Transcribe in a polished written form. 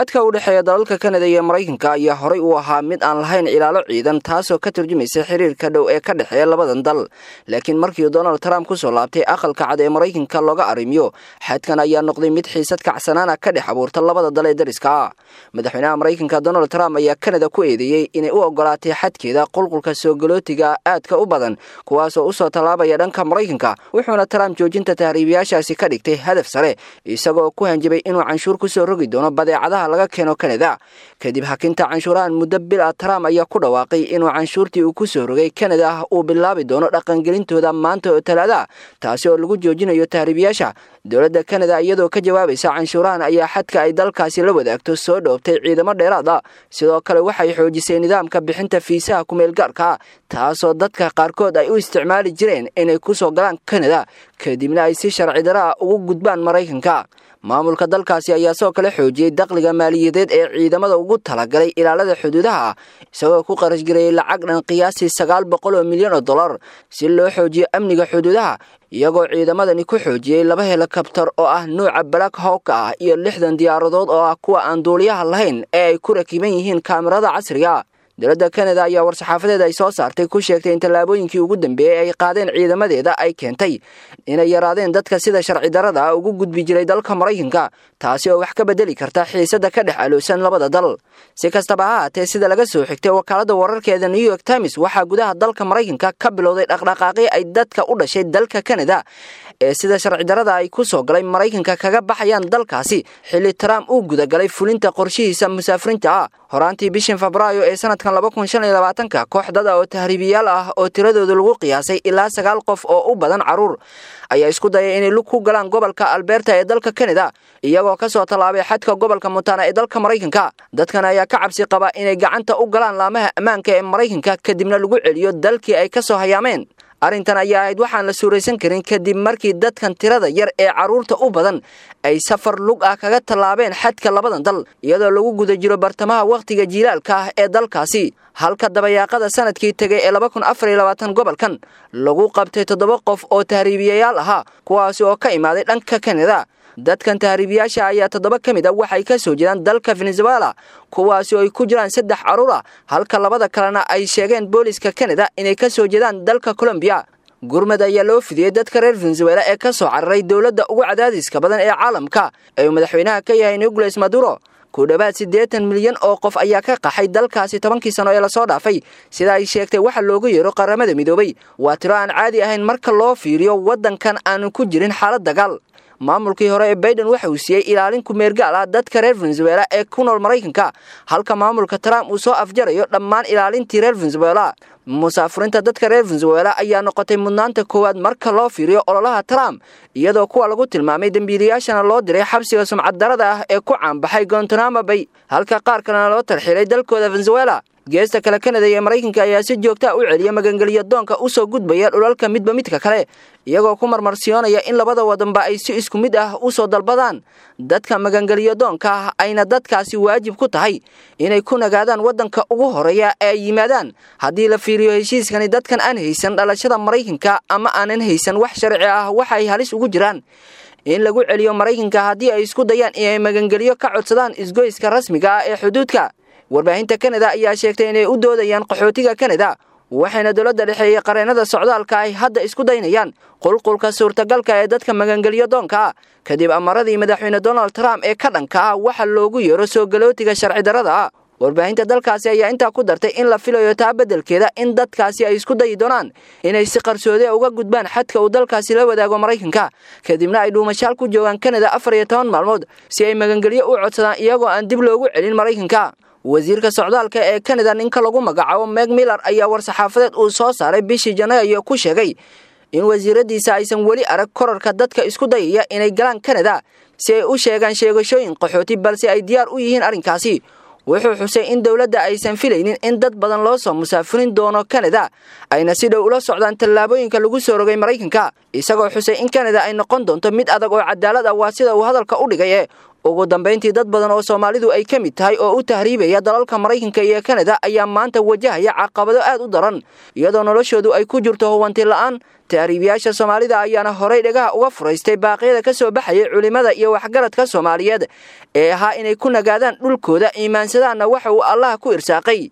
Xadka u dhexeeya dalalka Kanada iyo Maraykanka ayaa horay u ahaa mid aan lahayn ilaalo ciidan, taasoo ka turjumaysa xiriirka dhow ee ka dhexeeya labadan dal. Laakiin markii Donald Trump kusoo laabtay Aqalka Cad ee Maraykanka looga arrimiyo, xadkan ayaa noqday mid xiisad kacsanaana ka dhex abuurta labada dal ee dariska ah. Madaxweynaha Maraykanka Donald Trump ayaa Kanada ku eedeeyey inay u ogolaatay xadkeeda qulqulka soo galootiga aadka u badan, kuwaasoo usoo tallaabaya dhanka Maraykanka. Wuxuuna Trump joojinta tahriibayaashaasi ka dhigtay hadaf sare, isagoo ku hanjabay inuu canshuur kusoo rogi doono badeecadaha laga keeno Kanada. Kadib hakinta canshuurahan muddo bil ah, Trump ayaa ku dhawaaqay inuu canshuurtii uu kusoo rogay Kanada uu bilaabi doono dhaqangelintooda maanta oo Talaada, taasi oo lagu joojinayo tahriibayaasha. Dowladda Kanada iyadoo ka jawaabaysa canshuurahan ayaa xadka ay dalkaasi la wadaagto soo dhoobtay ciidamo dheeraad ah. Sidoo kale waxay xoojisay nidaamka bixinta fiisaha kumeelgaarka, taasoo dadka qaarkood ay u isticmaali jireen inay kusoo galaan Kanada, kadibna ay si sharci dara ah ugu gudbaan Maraykanka. Maamulka dalkaasi ayaa sidoo kale xoojiyey dakhliga maaliyadeed ee ciidamada ugu talagalay ilaalada xuduudaha, isagoo ku qarashgareeyey lacag dhan qiyaastii $900 milyan si loo xoojiyo amniga xuduudaha, iyagoo ciidamadani ku xoojiyey laba helikabtar oo ah nuuca Black Hawk ah iyo 60 diyaaradood oo ah kuwa aan duuliyaha lahayn ee ay ku rakiban yihiin kaamirada casriga. Dowladda Kanada ayaa war-saxaafadeed ay soo saartay ku sheegtay in tallaabooyinkii ugu dambeeyey ay qaadeen ciidamadeeda ay keentay inay yaraadeen dadka sida sharci darada ugu gudbi jiray dalka Maraykanka, taasi oo wax ka bedeli karta xiisada ka dhex aloosan labada dal. Si kastaba ha haatee, sida laga soo xigtay wakaaladda wararkeeda New York Times, waxaa gudaha dalka Maraykanka ka bilowday dhaqdhaqaaqyo ay dadka u dhashay dalka Kanada ee sida sharci darada ay ku soo galay Maraykanka kaga baxayaan dalkaasi, xilli Trump uu gudagalay fulinta qorshihiisa musaafiriinta ah. Horaantii bishan Febraayo ee sanadkan 2025-ka, koox dad ah oo tahriibiyaal ah oo tiradooda lagu qiyaasay ilaa sagaal qof oo u badan caruur ayaa isku dayay inay lug ku galaan gobolka Alberta ee dalka Canada, iyagoo kasoo tallaabay xadka gobolka Montana ee dalka Maraykanka. Dadkan ayaa ka cabsi qaba inay gacanta u galaan laamaha ammaanka ee Maraykanka, kadibna lagu celiyo dalkii ay kasoo hayaameen. Arrintan ayaa ahayd waxaan la suuraysan karin, kadib markii dadkan tirada yar ee carruurta u badan ay safar lug ah kaga tallaabeen xadka labadan dal, iyadoo lagu guda jiro bartamaha wakhtiga jiilaalka ah ee dalkaasi, halka dabayaaqada sanadkii tegay ee 2024 gobolkan lagu qabtay toddoba qof oo tahriibiyayaal ahaa, kuwaasi oo ka imaaday dhanka Kanada. Dadkan tahriibiyaasha ayaa toddoba ka mid a waxay ka soo jiraan dalka Venezuela, kuwaasi oo ay ku jiraan saddex carruur ah, halka labada kalena ay sheegeen booliska Canada inay ka soo jeedaan dalka Colombiya. Gurmad ayaa loo fidiyey dadka reer Venezuela ee ka soo cararay dowladda ugu cadaadiska badan ee caalamka ee uu madaxweynaha ka yahay Nicolas Maduro. Ku dhowaad 80 milyan oo qof ayaa ka qaxay dalkaasi 10-kii sano ee lasoo dhaafay, sida ay sheegtay waxa loogu yeero Qaramada Midoobay. Waa tiro aan caadi ahayn marka loo fiiriyo waddankan aanu ku jirin xaalad dagaal. Maamulkii hore ee Biden waxa uu siiyey ilaalin kumeergaal ah dadka reer Venezuela ee ku nool Maraykanka, halka maamulka Trump uu soo afjarayo dhammaan ilaalintii reer Venezuela. Musaafurinta dadka reer Venezuela ayaa noqotay mudnaanta koowaad marka loo fiiriyo ololaha Trump, iyadoo kuwa lagu tilmaamay dembiilayaashana loo diray xabsiga sumcaddarada ah ee ku caanbaxay Guantanamo Bay, halka qaar kalena loo tarxiilay dalkooda Venezuela. Geesta kale, Kanada iyo Maraykanka ayaa si joogtaa u celiya magangeliyo doonka usoo gudbaya dhulalka midba midka kale, iyagoo ku marmarsiyoonaya in labada wadanba ay si isku mid ah usoo dalbadaan dadka magangeliyo doonka ah, ayna dadkaasi waajib ku tahay inay ku nagaadaan waddanka ugu horeeya ee ay yimaadaan. Haddii la fiiriyo heshiiskani, dadkan aan haysan dhalashada Maraykanka ama aanan haysan wax sharci ah waxay halis ugu jiraan in lagu celiyo Maraykanka haddii ay isku dayaan inay magangeliyo ka codsadaan isgoyska rasmiga ah ee xuduudka. Warbaahinta Kanada ayaa sheegtay inay u doodayaan qaxootiga Kanada, waxayna dowladda dhexe iyo qareennada socdaalka ay hadda isku daynayaan qulqulka suurtagalka ee dadka magangelyo doonka ah, kadib amaradii madaxweyne Donald Trump ee ka dhanka ah waxa loogu yeero soo galootiga sharci darrada ah. Warbaahinta dalkaasi ayaa intaa ku dartay in la filayo taa beddelkeeda in dadkaasi ay isku dayi doonaan inay si qarsoode uga gudbaan xadka uu dalkaasi la wadaago Maraykanka, kadibna ay dhuumashaal ku joogaan Kanada 14 maalmood si ay magangelyo u codsadaan, iyagoo aan dib loogu celin Maraykanka. Wasiirka socdaalka ee Kanada, ninka lagu magacaabo Meg Miller, ayaa war-saxaafadeed uu soo saaray bishii Janaayo ku sheegay in wasiiradiisa aysan weli arag korarka dadka isku dayaya inay galaan Kanada si ay u sheegaan sheegashooyin qaxooti, balse ay diyaar u yihiin arrinkaasi. Wuxuu xusay in dowladda aysan filaynin in dad badan loo soo musaafurin doono Kanada, ayna si dhow ula socdaan tallaabooyinka lagu soo rogay Maraykanka, isagoo xusay in Kanada ay noqon doonto mid adag oo cadaalad ah, waa sida uu hadalka u dhigay. Ugu dambayntii, dad badan oo Soomaalidu ay ka mid tahay oo u tahriibaya dalalka Maraykanka iyo Kanada ayaa maanta wajahaya caqabado aad u daran, iyadoo noloshoodu ay ku jirto huwanti la'aan. Tahriibiyaasha Soomaalida ayaana horay dhagaha uga furaystay baaqyada ka soo baxayay culimmada iyo waxgaradka Soomaaliyeed ee ahaa inay ku nagaadaan dhulkooda, iimaansadaanna waxa uu Allaah ku irsaaqay.